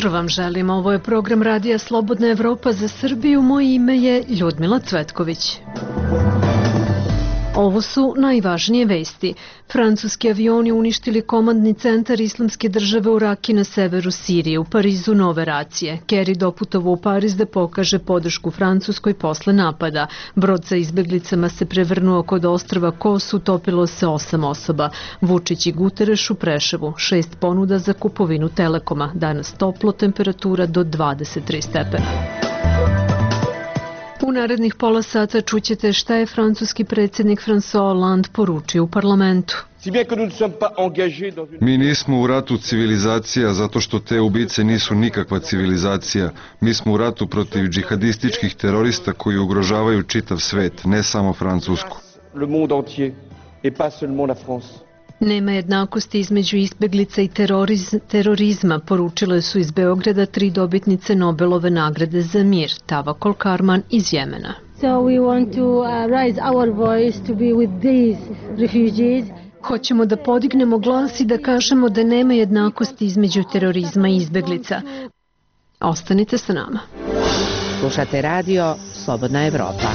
jutro vam želim. Ovo je program Radija Slobodna Evropa za Srbiju. Moje ime je Ljudmila Cvetković. Ovo su najvažnije vesti. Francuski avioni uništili komandni centar Islamske države u Raki na severu Sirije, u Parizu nove racije. Kerry doputovao u Pariz da pokaže podršku Francuskoj posle napada. Brod sa izbeglicama se prevrnuo kod ostrva Kos, utopilo se 8 osoba. Vučić i Guterres u Preševu, 6 ponuda za kupovinu Telekoma. Danas toplo, temperatura do 23 stepena. U narednih pola sata čućete šta je francuski predsjednik François Hollande poručio u parlamentu. Mi nismo u ratu civilizacija zato što te ubice nisu nikakva civilizacija. Mi smo u ratu protiv džihadističkih terorista koji ugrožavaju čitav svet, ne samo Francusku. Nema jednakosti između izbeglica i terorizma, poručile su iz Beograda 3 dobitnice Nobelove nagrade za mir, Tavakol Karman iz Jemena. Hoćemo da podignemo glas i da kažemo da nema jednakosti između terorizma i izbeglica. Ostanite sa nama. Slušate radio Slobodna Evropa.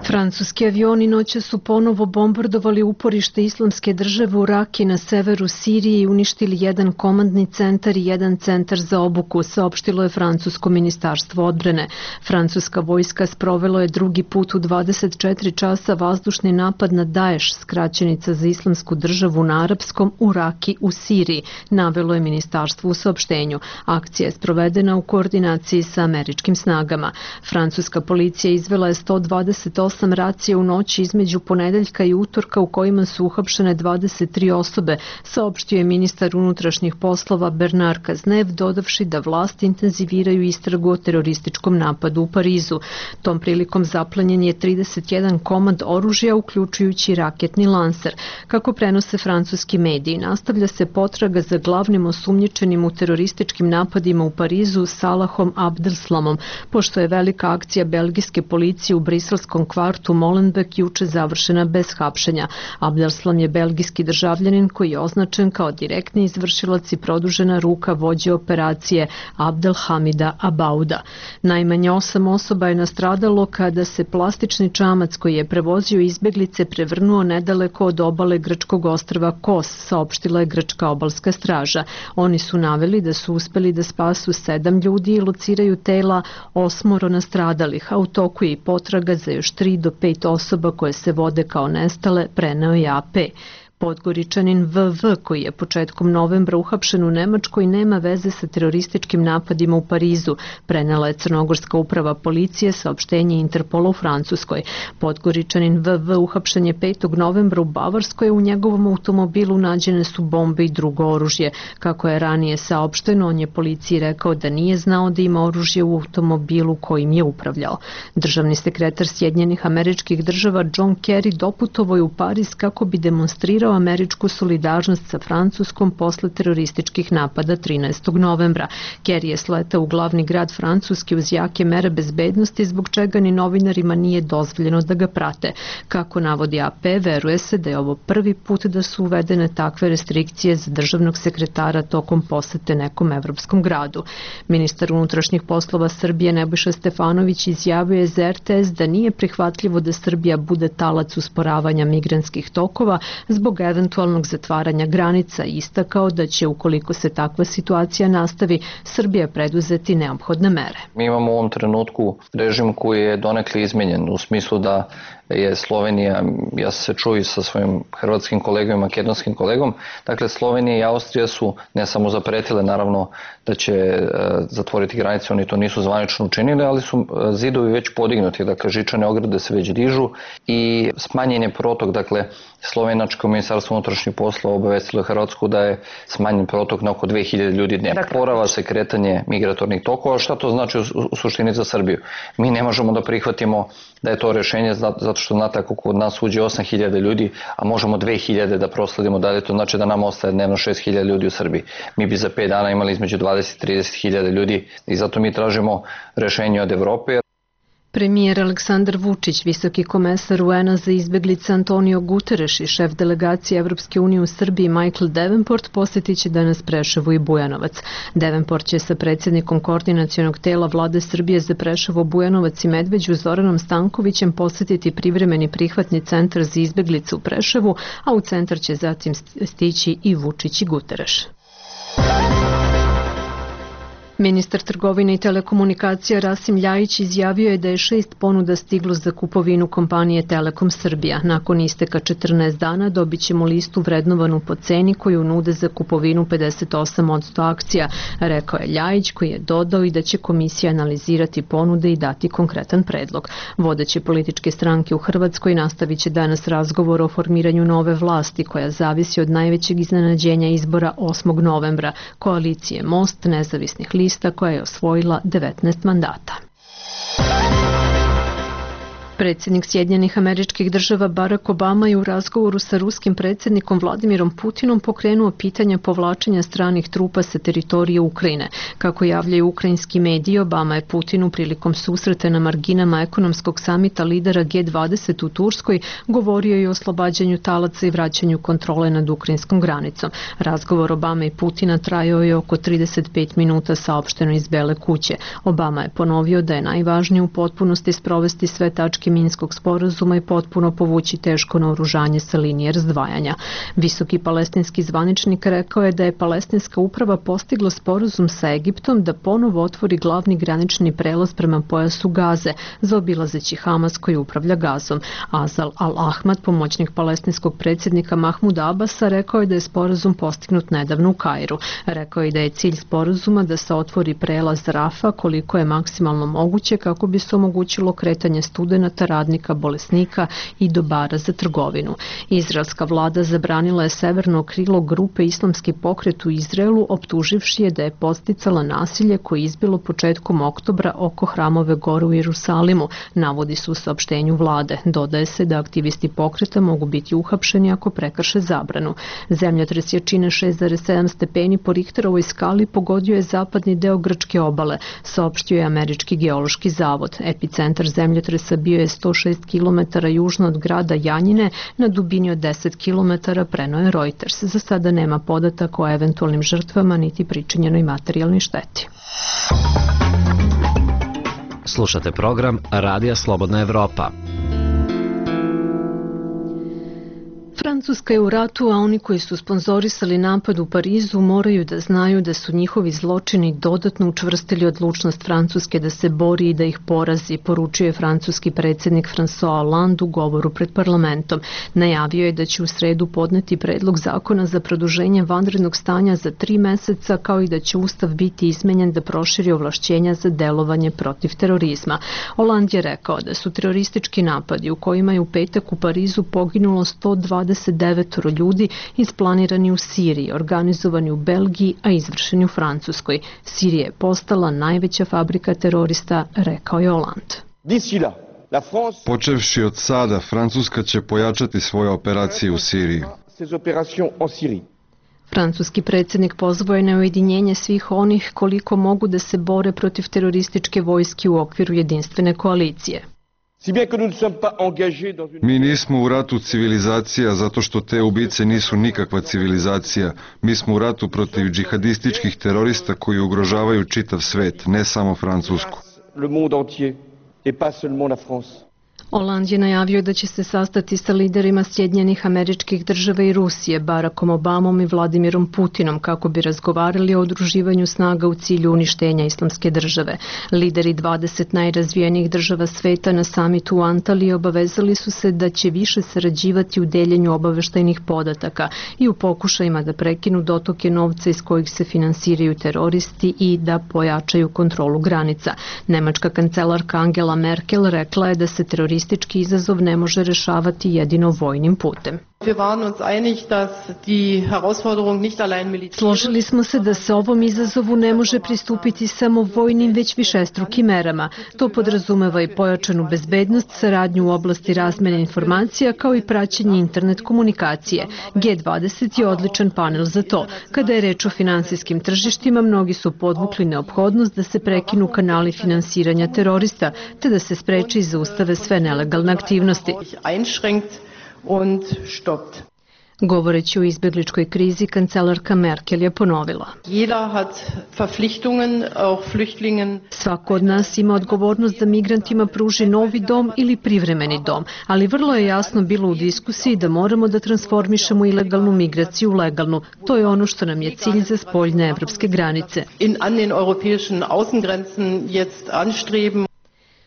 Francuski avioni noća su ponovo bombardovali uporište Islamske države u Raki na severu Sirije i uništili jedan komandni centar i jedan centar za obuku, saopštilo je francusko ministarstvo odbrane. Francuska vojska sprovelo je drugi put u 24 časa vazdušni napad na Daesh, skraćenica za Islamsku državu na arapskom, u Raki u Siriji, navelo je ministarstvo u saopštenju. Akcija je sprovedena u koordinaciji sa američkim snagama. Francuska policija izvela je 128 racije u noći između ponedeljka i utorka u kojima su uhapšene 23 osobe, saopštio je ministar unutrašnjih poslova Bernard Cazeneuve, dodavši da vlasti intenziviraju istragu o terorističkom napadu u Parizu. Tom prilikom zaplenjen je 31 komad oružja, uključujući raketni lanser. Kako prenose francuski mediji, nastavlja se potraga za glavnim osumnjičenim u terorističkim napadima u Parizu, Salahom Abdeslamom, pošto je velika akcija belgijske policije u briselskom kvartu Molenbeek juče završena bez hapšenja. Abdeslam je belgijski državljanin koji je označen kao direktni izvršilac i produžena ruka vođe operacije Abdelhamida Abauda. Najmanje 8 osoba je nastradalo kada se plastični čamac koji je prevozio izbeglice prevrnuo nedaleko od obale grčkog ostrva Kos, saopštila je grčka obalska straža. Oni su naveli da su uspeli da spasu 7 ljudi i lociraju tela 8 nastradalih, a u toku je i potraga za još 3 do 5 osoba koje se vode kao nestale, preneo je AP. Podgoričanin VV, koji je početkom novembra uhapšen u Nemačkoj, nema veze sa terorističkim napadima u Parizu, prenela je crnogorska uprava policije, saopštenje Interpola u Francuskoj. Podgoričanin VV uhapšen je 5. novembra u Bavarskoj, u njegovom automobilu nađene su bombe i drugo oružje. Kako je ranije saopšteno, on je policiji rekao da nije znao da ima oružje u automobilu kojim je upravljao. Državni sekretar Sjedinjenih Američkih Država John Kerry doputovao je u Pariz kako bi demonstrirao američku solidarnost sa Francuskom posle terorističkih napada 13. novembra. Kerry je sletao u glavni grad Francuske uz jake mere bezbednosti, zbog čega ni novinarima nije dozvoljeno da ga prate. Kako navodi AP, veruje se da je ovo prvi put da su uvedene takve restrikcije za državnog sekretara tokom posete nekom evropskom gradu. Ministar unutrašnjih poslova Srbije Nebojša Stefanović izjavio je za RTS da nije prihvatljivo da Srbija bude talac usporavanja migrantskih tokova zbog eventualnog zatvaranja granica i istakao da će, ukoliko se takva situacija nastavi, Srbija preduzeti neophodne mere. Mi imamo u ovom trenutku režim koji je donekle izmenjen u smislu da je Slovenija, ja se čuju sa svojim hrvatskim kolegom i makedonskim kolegom, dakle Slovenija i Austrija su ne samo zapretile naravno da će zatvoriti granice, oni to nisu zvanično učinili, ali su zidovi već podignuti, dakle žičane ograde se već dižu i smanjen je protok, dakle Slovenačko ministarstvo unutrašnjih poslova obavestilo Hrvatsku da je smanjen protok na oko 2000 ljudi dnevno. Porava se kretanje migratornih tokova, šta to znači u suštini za Srbiju? Mi ne možemo da prihvatimo da je to rešenje zato što znate ako kod nas uđe 8000 ljudi, a možemo 2000 da prosledimo dalje, to znači da nam ostaje dnevno 6000 ljudi u Srbiji. Mi bi za 5 dana imali između 20 i 30 hiljada ljudi i zato mi tražimo rešenje od Evrope. Premijer Aleksandar Vučić, visoki komesar UN-a za izbeglice Antonio Guterres i šef delegacije Evropske unije u Srbiji Michael Davenport posjetit će danas Preševo i Bujanovac. Davenport će sa predsjednikom koordinacionog tela Vlade Srbije za Preševo, Bujanovac i Medveđu Zoranom Stankovićem posjetiti privremeni prihvatni centar za izbeglice u Preševu, a u centar će zatim stići i Vučić i Guterres. Ministar trgovine i telekomunikacija Rasim Ljajić izjavio je da je 6 ponuda stiglo za kupovinu kompanije Telekom Srbija. Nakon isteka 14 dana dobit ćemo listu vrednovanu po ceni koju nude za kupovinu 58% akcija, rekao je Ljajić, koji je dodao i da će komisija analizirati ponude i dati konkretan predlog. Vodeće političke stranke u Hrvatskoj nastavit će danas razgovor o formiranju nove vlasti koja zavisi od najvećeg iznenađenja izbora 8. novembra, koalicije Most, nezavisnih lista koja je osvojila 19 mandata. Predsjednik Sjedinjenih Američkih Država Barack Obama je u razgovoru sa ruskim predsjednikom Vladimirom Putinom pokrenuo pitanje povlačenja stranih trupa sa teritorije Ukrajine. Kako javljaju ukrajinski mediji, Obama je Putinu prilikom susreta na marginama ekonomskog samita lidera G20 u Turskoj govorio i o oslobađanju talaca i vraćanju kontrole nad ukrajinskom granicom. Razgovor Obame i Putina trajao je oko 35 minuta, saopšteno iz Bele kuće. Obama je ponovio da je najvažnije u potpunosti sprovesti sve tačke Minskog sporazuma i potpuno povući teško naoružanje sa linije razdvajanja. Visoki palestinski zvaničnik rekao je da je palestinska uprava postigla sporazum sa Egiptom da ponovo otvori glavni granični prelaz prema pojasu Gaze, zaobilazeći Hamas koji upravlja Gazom. Azal al-Ahmad, pomoćnik palestinskog predsjednika Mahmuda Abasa, rekao je da je sporazum postignut nedavno u Kairu. Rekao je da je cilj sporazuma da se otvori prelaz Rafa koliko je maksimalno moguće kako bi se omogućilo kretanje studenata, radnika, bolesnika i dobara za trgovinu. Izraelska vlada zabranila je severno krilo grupe Islamski pokret u Izraelu, optuživši je da je podsticala nasilje koje je izbilo početkom oktobra oko Hramove gore u Jerusalimu, navodi se u saopštenju vlade. Dodaje se da aktivisti pokreta mogu biti uhapšeni ako prekrše zabranu. Zemljotres jačine 6,7 stepeni po Richterovoj skali pogodio je zapadni deo grčke obale, saopštio je Američki geološki zavod. Epicentar zemljotresa bio je 106 km južno od grada Janjine na dubini od 10 km, preneo je Reuters. Za sada nema podataka o eventualnim žrtvama niti pričinjenoj materijalnoj šteti. Slušate program Radija Slobodna Evropa. Francuska je u ratu, a oni koji su sponzorisali napad u Parizu moraju da znaju da su njihovi zločini dodatno učvrstili odlučnost Francuske da se bori i da ih porazi, poručio je francuski predsjednik François Hollande u govoru pred parlamentom. Najavio je da će u sredu podneti predlog zakona za produženje vanrednog stanja za 3 meseca, kao i da će ustav biti izmenjen da proširi ovlašćenja za delovanje protiv terorizma. Hollande je rekao da su teroristički napadi u kojima je u petak u Parizu poginulo 129 ljudi isplanirani u Siriji, organizovani u Belgiji, a izvršeni u Francuskoj. Sirija je postala najveća fabrika terorista, rekao je Hollande. Počevši od sada, Francuska će pojačati svoje operacije u Siriji. Francuski predsjednik pozvao je na ujedinjenje svih onih koliko mogu da se bore protiv terorističke vojske u okviru jedinstvene koalicije. Mi nismo u ratu civilizacija zato što te ubice nisu nikakva civilizacija. Mi smo u ratu protiv džihadističkih terorista koji ugrožavaju čitav svet, ne samo Francusku. Hollande je najavio da će se sastati sa liderima Sjedinjenih Američkih Država i Rusije, Barackom Obamom i Vladimirom Putinom, kako bi razgovarali o udruživanju snaga u cilju uništenja Islamske države. Lideri 20 najrazvijenijih država sveta na samitu u Antaliji obavezali su se da će više sarađivati u deljenju obaveštajnih podataka i u pokušajima da prekinu dotoke novca iz kojih se finansiraju teroristi i da pojačaju kontrolu granica. Nemačka kancelarka Angela Merkel rekla je da se teroristički izazov ne može rešavati jedino vojnim putem. Složili smo se da se ovom izazovu ne može pristupiti samo vojnim, već višestrukim merama. To podrazumeva i pojačanu bezbednost, saradnju u oblasti razmene informacija, kao i praćenje internet komunikacije. G20 je odličan panel za to. Kada je reč o finansijskim tržištima, mnogi su podvukli neophodnost da se prekinu kanali finansiranja terorista, te da se spreči i zaustave sve nelegalne aktivnosti. Govoreći o izbegličkoj krizi, kancelarka Merkel je ponovila: svako od nas ima odgovornost da migrantima pruži novi dom ili privremeni dom, ali vrlo je jasno bilo u diskusiji da moramo da transformišemo ilegalnu migraciju u legalnu. To je ono što nam je cilj za spoljne evropske granice.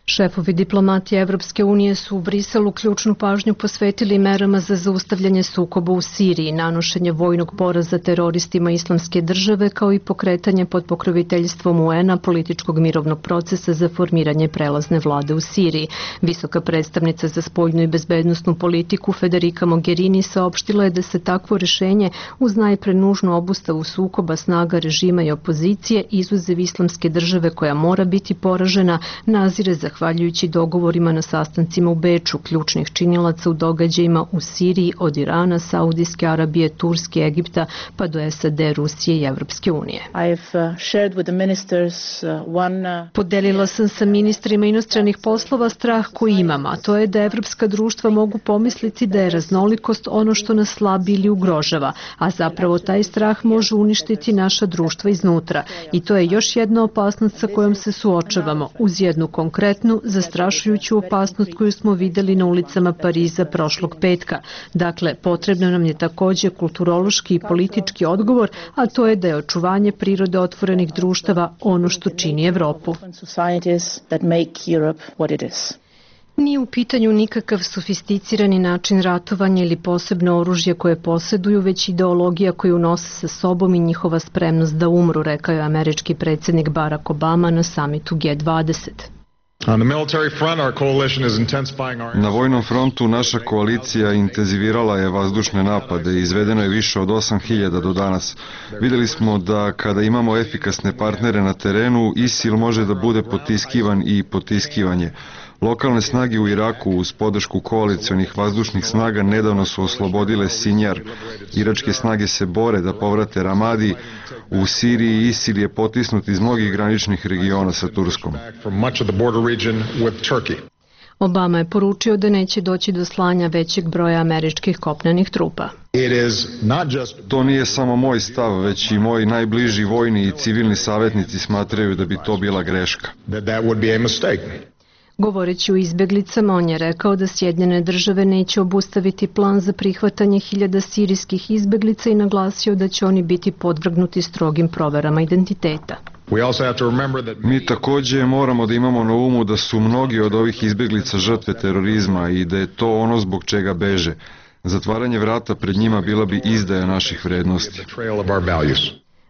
Šefovi diplomatije Evropske unije su u Briselu ključnu pažnju posvetili merama za zaustavljanje sukoba u Siriji, nanošenje vojnog poraza teroristima Islamske države, kao i pokretanje pod pokroviteljstvom UN-a političkog mirovnog procesa za formiranje prelazne vlade u Siriji. Visoka predstavnica za spoljnu i bezbednosnu politiku Federica Mogherini saopštila je da se takvo rešenje uz najpre nužnu obustavu sukoba snaga režima i opozicije, izuzev Islamske države koja mora biti poražena, nazire zahvaljujući dogovorima na sastancima u Beču ključnih činilaca u događajima u Siriji od Irana, Saudijske Arabije, Turske, Egipta pa do SAD, Rusije i Evropske unije. Podelila sam sa ministrima inostranih poslova strah koji imam, a to je da evropska društva mogu pomisliti da je raznolikost ono što nas slabi ili ugrožava, a zapravo taj strah može uništiti naša društva iznutra. I to je još jedna opasnost sa kojom se suočavamo, uz jednu konkretnu, zastrašujuću opasnost koju smo videli na ulicama Pariza prošlog petka. Dakle, potrebno nam je takođe kulturološki i politički odgovor, a to je da je očuvanje prirode otvorenih društava ono što čini Evropu. Nije u pitanju nikakav sofisticirani način ratovanja ili posebno oružje koje poseduju, već ideologija koju nose sa sobom i njihova spremnost da umru, rekao je američki predsjednik Barack Obama na samitu G20. Na vojnom frontu naša koalicija intenzivirala je vazdušne napade i izvedeno je više od 8000 do danas. Videli smo da kada imamo efikasne partnere na terenu, ISIL može da bude potiskivan i potiskivanje. Lokalne snage u Iraku uz podršku koalicionih vazdušnih snaga nedavno su oslobodile Sinjar. Iračke snage se bore da povrate Ramadi. U Siriji ISIL je potisnut iz mnogih graničnih regiona sa Turskom. Obama je poručio da neće doći do slanja većeg broja američkih kopnenih trupa. To nije samo moj stav, već i moji najbliži vojni i civilni savjetnici smatraju da bi to bila greška. Govoreći o izbeglicama, on je rekao da Sjedinjene države neće obustaviti plan za prihvatanje 1000 sirijskih izbeglica i naglasio da će oni biti podvrgnuti strogim proverama identiteta. Mi takođe moramo da imamo na umu da su mnogi od ovih izbeglica žrtve terorizma i da je to ono zbog čega beže. Zatvaranje vrata pred njima bila bi izdaja naših vrednosti.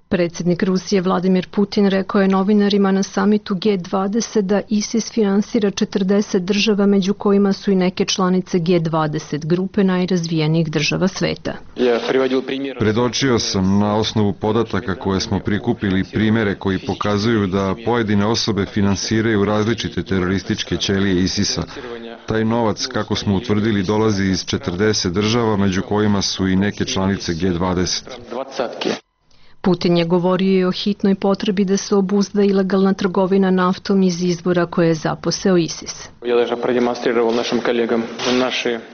Predsjednik Rusije Vladimir Putin rekao je novinarima na samitu G20 da ISIS finansira 40 država, među kojima su i neke članice G20, grupe najrazvijenijih država sveta. Predočio sam na osnovu podataka koje smo prikupili primere koji pokazuju da pojedine osobe finansiraju različite terorističke ćelije ISIS-a. Taj novac, kako smo utvrdili, dolazi iz 40 država, među kojima su i neke članice G20. Putin je govorio i o hitnoj potrebi da se obuzda ilegalna trgovina naftom iz izvora koje je zaposeo ISIS.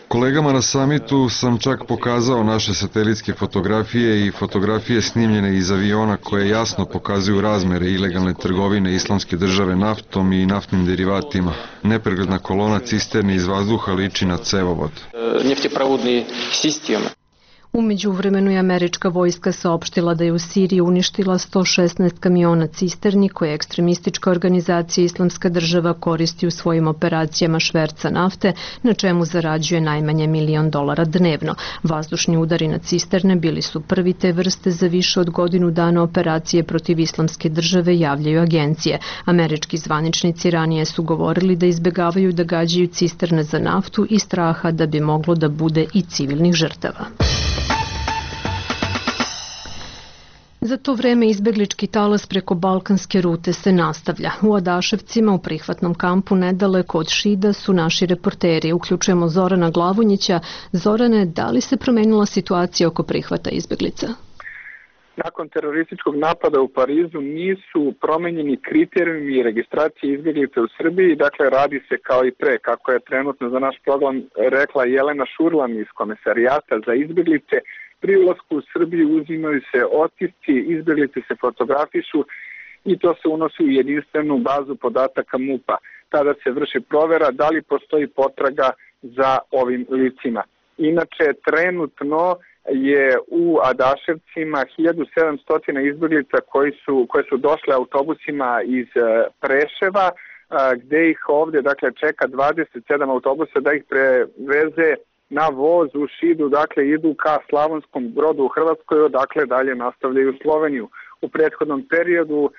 Kolegama na samitu sam čak pokazao naše satelitske fotografije i fotografije snimljene iz aviona koje jasno pokazuju razmere ilegalne trgovine Islamske države naftom i naftnim derivatima. Nepregledna kolona cisterni iz vazduha liči na cevovod. U međuvremenu je američka vojska saopštila da je u Siriji uništila 116 kamiona cisterni koje ekstremistička organizacija Islamska država koristi u svojim operacijama šverca nafte, na čemu zarađuje najmanje $1 milion dnevno. Vazdušni udari na cisterne bili su prvi te vrste za više od godinu dana operacije protiv Islamske države, javljaju agencije. Američki zvaničnici ranije su govorili da izbegavaju da gađaju cisterne za naftu i straha da bi moglo da bude i civilnih žrtava. Za to vreme izbeglički talas preko balkanske rute se nastavlja. U Adaševcima, u prihvatnom kampu nedaleko od Šida, su naši reporteri. Uključujemo Zorana Glavonjića. Zorane, da li se promenila situacija oko prihvata izbeglica? Nakon terorističkog napada u Parizu nisu promenjeni kriterijumi registracije izbeglica u Srbiji, dakle radi se kao i pre, kako je trenutno za naš program rekla Jelena Šurlan iz Komesarijata za izbeglice. Pri ulasku u Srbiju uzimaju se otisci, izbeglice se fotografišu i to se unosi u jedinstvenu bazu podataka MUP-a. Tada se vrši provera da li postoji potraga za ovim licima. Inače, trenutno je u Adaševcima 1700 izbeglica koje su došle autobusima iz Preševa, gde ih ovde čeka 27 autobusa da ih preveze na voz u Šidu, dakle idu ka Slavonskom Brodu u Hrvatskoj, odakle dalje nastavljaju Sloveniju. U prethodnom periodu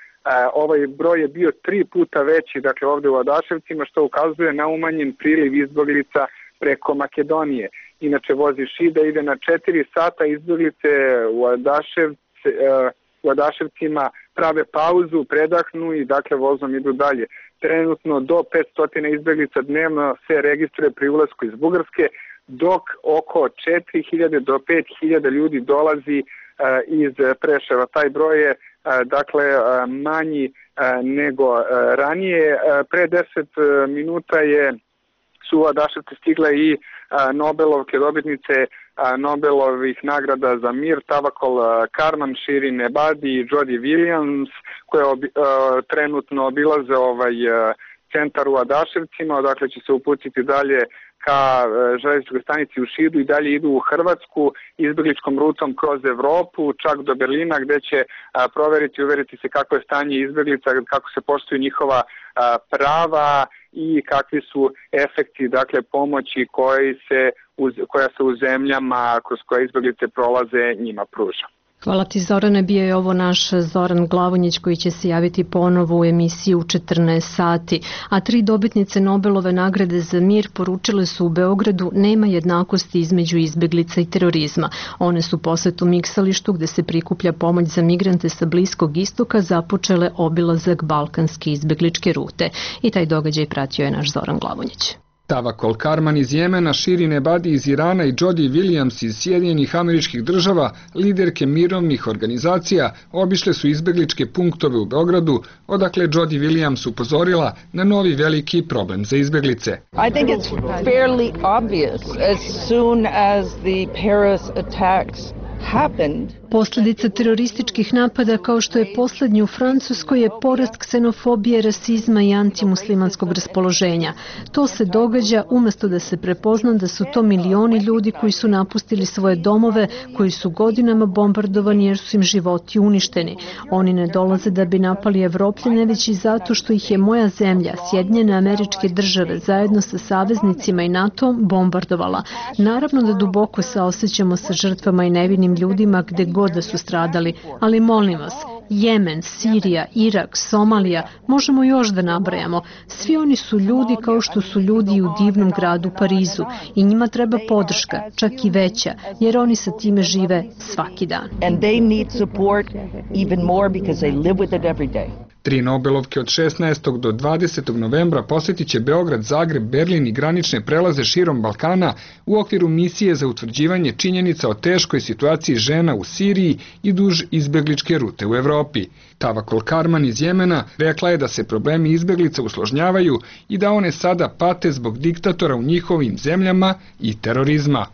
ovaj broj je bio 3 puta veći, dakle ovde u Adaševcima, što ukazuje na umanjen priliv izbeglica preko Makedonije. Inače voz iz Šida ide na 4 sata, izbeglice u Adaševcima prave pauzu, predahnu i dakle vozom idu dalje. Trenutno do 500 izbeglica dnevno se registruje pri ulasku iz Bugarske, dok oko 4000 do 5000 ljudi dolazi iz Preševa. Taj broj je manji nego ranije. Pre 10 minuta su u Adaševce stigle i Nobelovke, dobitnice Nobelovih nagrada za mir, Tavakol Karman, Shirin Ebadi i Jody Williams, koje trenutno obilaze centar u Adaševcima, odakle će se uputiti dalje ka železničkoj stanici u Šidu i dalje idu u Hrvatsku izbegličkom rutom kroz Evropu, čak do Berlina, gde će proveriti i uveriti se kako je stanje izbeglica, kako se poštuju njihova prava i kakvi su efekti pomoći koja se u zemljama kroz koje izbeglice prolaze njima pruža. Hvala ti, Zorane. Bio je ovo naš Zoran Glavonjić koji će se javiti ponovo u emisiji u 14 sati. A 3 dobitnice Nobelove nagrade za mir poručile su u Beogradu nema jednakosti između izbeglica i terorizma. One su posetu miksalištu gde se prikuplja pomoć za migrante sa Bliskog istoka započele obilazak balkanske izbegličke rute. I taj događaj pratio je naš Zoran Glavonjić. Tavakol Karman iz Jemena, Shirin Ebadi iz Irana i Jody Williams iz Sjedinjenih Američkih Država, liderke mirovnih organizacija, obišle su izbegličke punktove u Beogradu, odakle Jody Williams upozorila na novi veliki problem za izbeglice. I think it's fairly obvious as soon as the Paris attacks happened. Posledica terorističkih napada kao što je poslednji u Francuskoj je porast ksenofobije, rasizma i antimuslimanskog raspoloženja. To se događa umesto da se prepozna da su to milioni ljudi koji su napustili svoje domove, koji su godinama bombardovani jer su im životi uništeni. Oni ne dolaze da bi napali Evropljane, već i zato što ih je moja zemlja, Sjedinjene Američke Države, zajedno sa saveznicima i NATO bombardovala. Naravno da duboko saosećamo sa žrtvama i nevinim ljudima gde god da su stradali, ali molim vas, Jemen, Sirija, Irak, Somalija, možemo još da nabrajamo. Svi oni su ljudi kao što su ljudi u divnom gradu Parizu i njima treba podrška, čak i veća, jer oni sa time žive svaki dan. And they need support even more because they live with it every day. 3 Nobelovke od 16. do 20. novembra posjetit će Beograd, Zagreb, Berlin i granične prelaze širom Balkana u okviru misije za utvrđivanje činjenica o teškoj situaciji žena u Siriji i duž izbegličke rute u Evropi. Tavakol Karman iz Jemena rekla je da se problemi izbeglica usložnjavaju i da one sada pate zbog diktatora u njihovim zemljama i terorizma.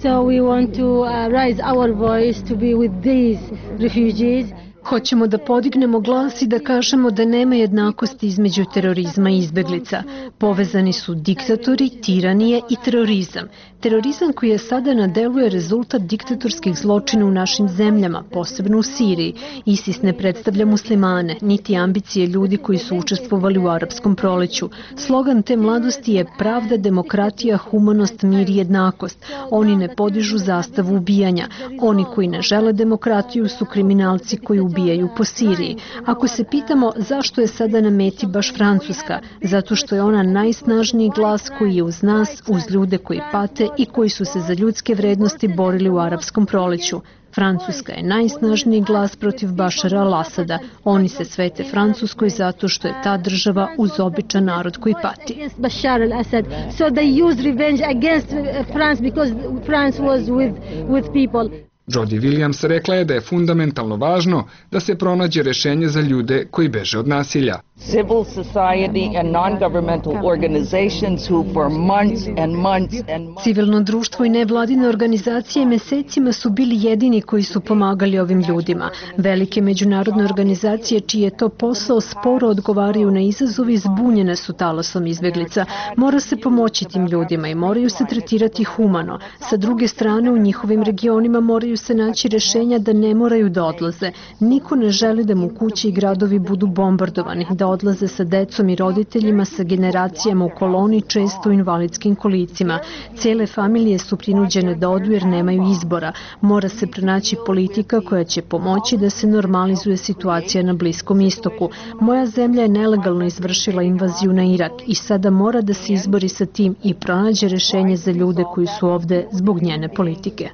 So we want to raise our voice to be with these refugees. Hoćemo da podignemo glas i da kažemo da nema jednakosti između terorizma i izbeglica. Povezani su diktatori, tiranije i terorizam. Terorizam koji je sada na delu je rezultat diktatorskih zločina u našim zemljama, posebno u Siriji. ISIS ne predstavlja muslimane, niti ambicije ljudi koji su učestvovali u arapskom proleću. Slogan te mladosti je pravda, demokratija, humanost, mir i jednakost. Oni ne podižu zastavu ubijanja. Oni koji ne žele demokratiju su kriminalci koji ubijaju po Siriji. Ako se pitamo zašto je sada na meti baš Francuska, zato što je ona najsnažniji glas koji je uz nas, uz ljude koji pate i koji su se za ljudske vrednosti borili u arapskom proleću. Francuska je najsnažniji glas protiv Bašara al-Asada. Oni se svete Francuskoj zato što je ta država uz običan narod koji pati. Bashar al-Assad. So they used revenge against France because France was with people. Jody Williams rekla je da je fundamentalno važno da se pronađe rešenje za ljude koji beže od nasilja. Civil society and non-governmental organizations who for months and months and months... Civilno društvo i nevladine organizacije mesecima su bili jedini koji su pomagali ovim ljudima. Velike međunarodne organizacije čiji je to posao sporo odgovaraju na izazovi zbunjene su talasom izbeglica. Mora se pomoći tim ljudima i moraju se tretirati humano. Sa druge strane, u njihovim regionima moraju se naći rešenja da ne moraju da odlaze. Niko ne želi da mu kuće i gradovi budu bombardovani, da odlaze sa decom i roditeljima, sa generacijama u koloni, često u invalidskim kolicima. Cele familije su prinuđene da odu jer nemaju izbora. Mora se pronaći politika koja će pomoći da se normalizuje situacija na Bliskom istoku. Moja zemlja je nelegalno izvršila invaziju na Irak i sada mora da se izbori sa tim i pronađe rešenje za ljude koji su ovde zbog njene politike.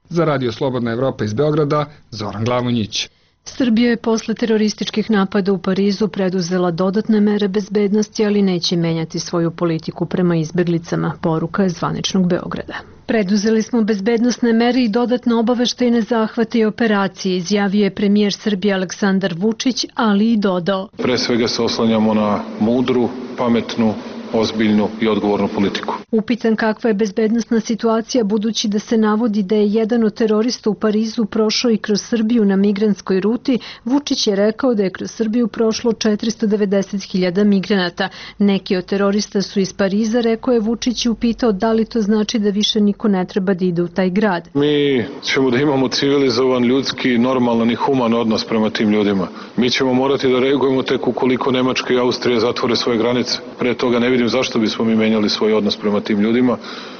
Za Radio Slobodna Evropa iz Beograda, Zoran Glavonjić. Srbija je posle terorističkih napada u Parizu preduzela dodatne mere bezbednosti, ali neće menjati svoju politiku prema izbeglicama, poruka je zvaničnog Beograda. Preduzeli smo bezbednosne mere i dodatne obaveštajne zahvate i operacije, izjavio je premijer Srbije Aleksandar Vučić, ali i dodao. Pre svega se oslanjamo na mudru, pametnu, ozbiljnu i odgovornu politiku. Upitan kakva je bezbednosna situacija budući da se navodi da je jedan od terorista u Parizu prošao i kroz Srbiju na migrantskoj ruti, Vučić je rekao da je kroz Srbiju prošlo 490.000 migranata. Neki od terorista su iz Pariza, rekao je Vučić i upitao da li to znači da više niko ne treba da ide u taj grad. Mi ćemo da imamo civilizovan, ljudski, normalan i human odnos prema tim ljudima. Mi ćemo morati da reagujemo tek ukoliko Nemačka i Austrija zatvore svoje granice. Pre toga ne vidim zašto bismo mi menjali svoj odnos prema tim ljudima,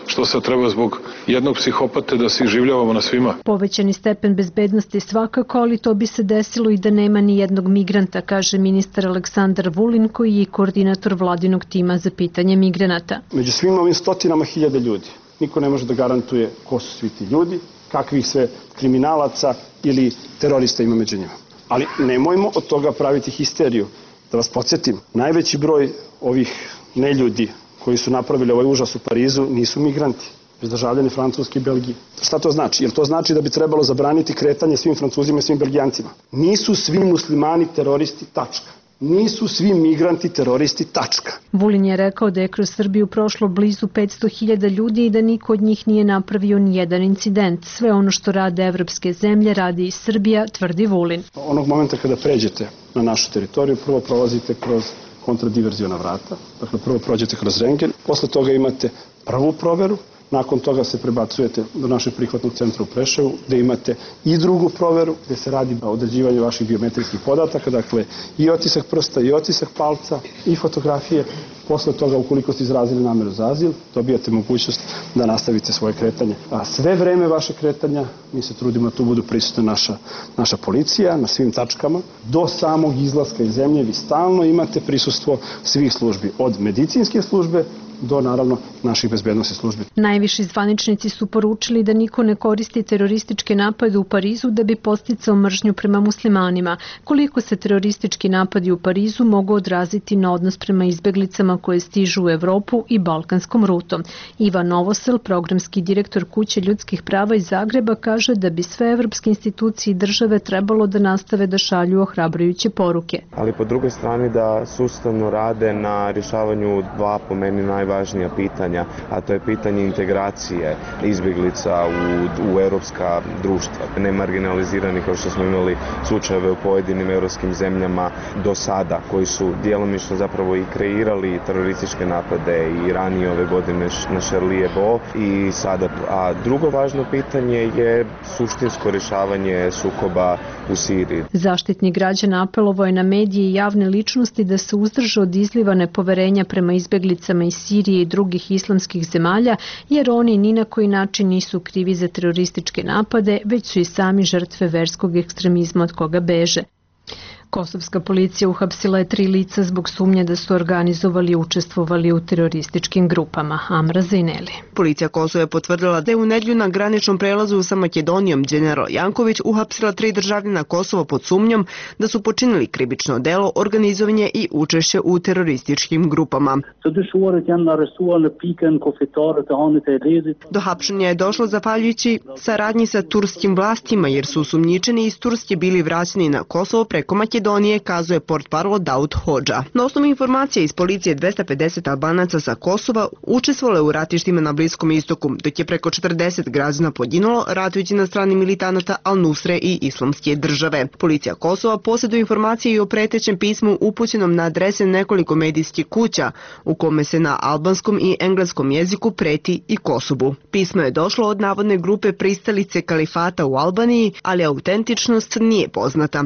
što se treba zbog jednog psihopate da se življavamo na svima. Povećani stepen bezbednosti svakako, ali to bi se desilo i da nema ni jednog migranta, kaže ministar Aleksandar Vulin, koji je koordinator vladinog tima za pitanje migranata. Među svim ovim stotinama hiljada ljudi, niko ne može da garantuje ko su svi ti ljudi, kakvih sve kriminalaca ili terorista ima među njima. Ali nemojmo od toga praviti histeriju. Da vas podsjetim, najveći broj ovih neljudi koji su napravili ovaj užas u Parizu nisu migranti, već državljani Francuske i Belgije. Šta to znači? Jer to znači da bi trebalo zabraniti kretanje svim Francuzima i svim Belgijancima. Nisu svi muslimani teroristi, tačka. Nisu svi migranti teroristi, tačka. Vulin je rekao da je kroz Srbiju prošlo blizu 500.000 ljudi i da niko od njih nije napravio ni jedan incident. Sve ono što rade evropske zemlje radi i Srbija, tvrdi Vulin. Onog momenta kada pređete na našu teritoriju, prvo prolazite kroz kontradiverziona vrata, dakle prvo prođete kroz Rengen, posle toga imate prvu proveru, nakon toga se prebacujete do našeg prihvatnog centra u Preševu, gde imate i drugu proveru, gde se radi o određivanju vaših biometrijskih podataka, dakle i otisak prsta, i otisak palca, i fotografije. Posle toga, ukoliko ste izrazili nameru za azil, dobijate mogućnost da nastavite svoje kretanje. A sve vreme vaše kretanja, mi se trudimo da tu budu prisutna naša policija na svim tačkama. Do samog izlaska iz zemlje vi stalno imate prisustvo svih službi, od medicinske službe do, naravno, naših bezbednosnih službi. Najviši zvaničnici su poručili da niko ne koristi terorističke napade u Parizu da bi podsticao mržnju prema muslimanima. Koliko se teroristički napadi u Parizu mogu odraziti na odnos prema izbeglicama koje stižu u Evropu i balkanskom rutom. Ivan Novosel, programski direktor Kuće ljudskih prava iz Zagreba, kaže da bi sve evropske institucije i države trebalo da nastave da šalju ohrabrujuće poruke. Ali po drugoj strani da sustavno rade na rješavanju dva po meni najvažnijih najvažnija pitanja, a to je pitanje integracije izbjeglica u europska društva. Ne marginalizirani kao što smo imali slučajeve u pojedinim europskim zemljama do sada, koji su djelomično zapravo i kreirali terorističke napade i ranije ove godine na Charlie Hebdo i sada. A drugo važno pitanje je suštinsko rješavanje sukoba u Siriji. Zaštitnik građana apelovao je na medije i javne ličnosti da se uzdrže od izliva nepoverenja prema izbjeglicama iz Sirije i drugih islamskih zemalja, jer oni ni na koji način nisu krivi za terorističke napade, već su i sami žrtve verskog ekstremizma od koga beže. Kosovska policija uhapsila je 3 lica zbog sumnje da su organizovali i učestvovali u terorističkim grupama. Amra Zejneli. Policija Kosova je potvrdila da je u nedjelju na graničnom prelazu sa Makedonijom general Janković uhapsila 3 državljana Kosova pod sumnjom da su počinili krivično delo, organizovanje i učešće u terorističkim grupama. Do hapšenja je došlo zahvaljujući saradnji sa turskim vlastima, jer su osumnjičeni iz Turske bili vraćeni na Kosovo preko Makedonije, kazuje portparol Daud Hodža. Na osnovu informacija iz policije 250 Albanaca sa Kosova učestvovalo u ratištima na Bliskom istoku, dok je preko 40 građana poginulo ratujući na strani militanata Al-Nusre i Islamske države. Policija Kosova posjeduje informacije i o pretećem pismu upućenom na adrese nekoliko medijskih kuća, u kome se na albanskom i engleskom jeziku preti i Kosovu. Pismo je došlo od navodne grupe pristalice kalifata u Albaniji, ali autentičnost nije poznata.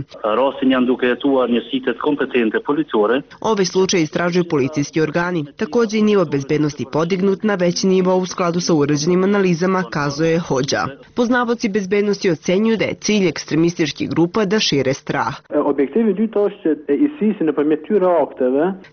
Ovaj slučaj istražuju policijski organi. Također i nivo bezbednosti podignut na veći nivo u skladu sa urađenim analizama, kazuje Hodža. Poznavaoci bezbednosti ocenjuju da je cilj ekstremističkih grupa da šire strah.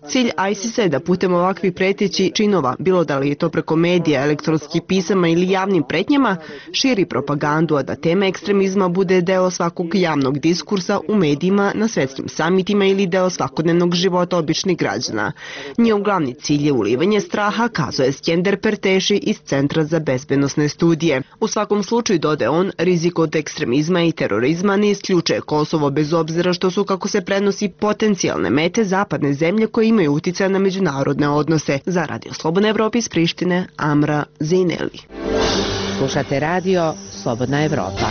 Cilj ISIS-a je da putem ovakvih pretećih činova, bilo da li je to preko medija, elektronskih pisama ili javnim pretnjama, širi propagandu, a da tema ekstremizma bude deo svakog javnog diskursa u medijima, na svetskim samitima ili deo svakodnevnog života običnih građana. Njihov glavni cilj je ulivanje straha, kazuje Skender Perteši iz Centra za bezbednosne studije. U svakom slučaju, dodaje on, rizik od ekstremizma i terorizma ne isključuje Kosovo, bez obzira što su, kako se prenosi, potencijalne mete zapadne zemlje koje imaju utjecaj na međunarodne odnose. Za Radio Slobodna Evropa iz Prištine, Amra Zejneli. Slušate radio Slobodna Evropa.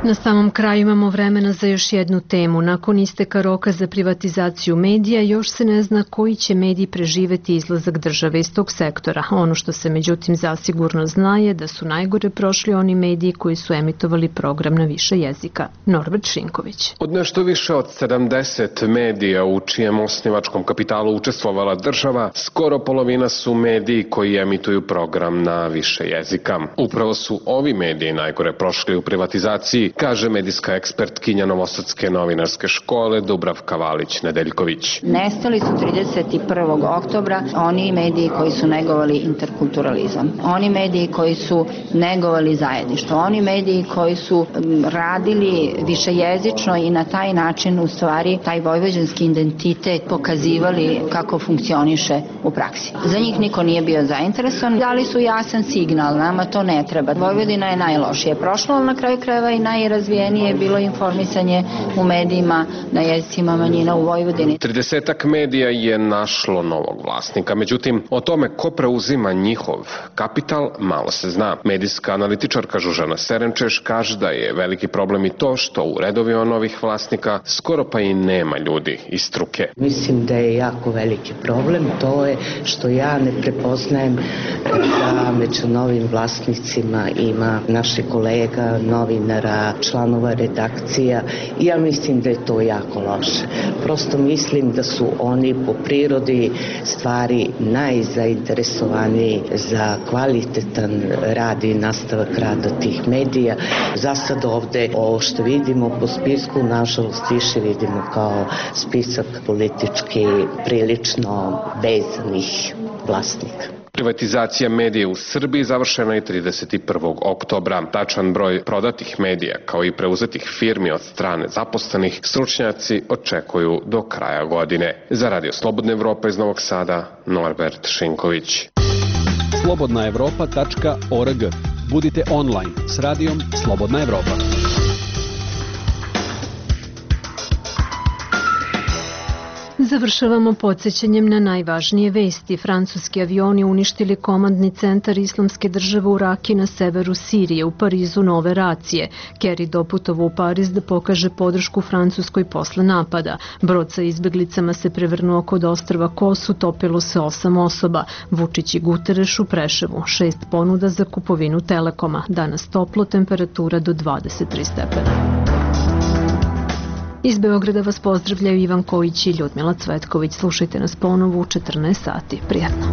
Na samom kraju imamo vremena za još jednu temu. Nakon isteka roka za privatizaciju medija, još se ne zna koji će mediji preživeti izlazak države iz tog sektora. Ono što se međutim zasigurno zna je da su najgore prošli oni mediji koji su emitovali program na više jezika. Norbert Šinković. Od nešto više od 70 medija u čijem osnivačkom kapitalu učestvovala država, skoro polovina su mediji koji emituju program na više jezika. Upravo su ovi mediji najgore prošli u privatizaciji, kaže medijska ekspertkinja Novosadske novinarske škole Dubravka Valić-Nedeljković. Nestali su 31. oktobra oni mediji koji su negovali interkulturalizam, oni mediji koji su negovali zajedništvo, oni mediji koji su radili višejezično i na taj način u stvari taj vojvođanski identitet pokazivali kako funkcioniše u praksi. Za njih niko nije bio zainteresovan, dali su jasan signal, nama to ne treba. Vojvodina je najlošije prošla, ali na kraju krajeva i najrazvijenije je bilo informisanje u medijima na jezicima manjina u Vojvodini. 30 medija je našlo novog vlasnika, međutim o tome ko preuzima njihov kapital malo se zna. Medijska analitičarka Žužana Serenčeš kaže da je veliki problem i to što u redovima novih vlasnika skoro pa i nema ljudi iz struke. Mislim da je jako veliki problem, to je što ja ne prepoznajem da među novim vlasnicima ima naših kolega, novinara, članova redakcija i ja mislim da je to jako loše. Prosto mislim da su oni po prirodi stvari najzainteresovaniji za kvalitetan rad i nastavak rada tih medija. Za sad ovde ovo što vidimo po spisku, nažalost više vidimo kao spisak politički prilično vezanih vlasnika. Privatizacija medija u Srbiji završena je 31. oktobra. Tačan broj prodatih medija kao i preuzetih firmi od strane zaposlenih stručnjaci očekuju do kraja godine. Za Radio Slobodna Evropa iz Novog Sada, Norbert Šinković. slobodnaevropa.org. Budite online s radijom Slobodna Evropa. Završavamo podsjećanjem na najvažnije vesti. Francuski avioni uništili komandni centar Islamske države u Raki na severu Sirije, u Parizu nove racije. Kerry doputovao u Pariz da pokaže podršku Francuskoj posle napada. Brod sa izbeglicama se prevrnuo kod ostrva Kos, utopilo se 8 osoba. Vučić i Guterres u Preševu, 6 ponuda za kupovinu Telekoma. Danas toplo, temperatura do 23 stepena. Iz Beograda vas pozdravljaju Ivan Kojić i Ljudmila Cvetković. Slušajte nas ponovo u 14 sati. Prijatno.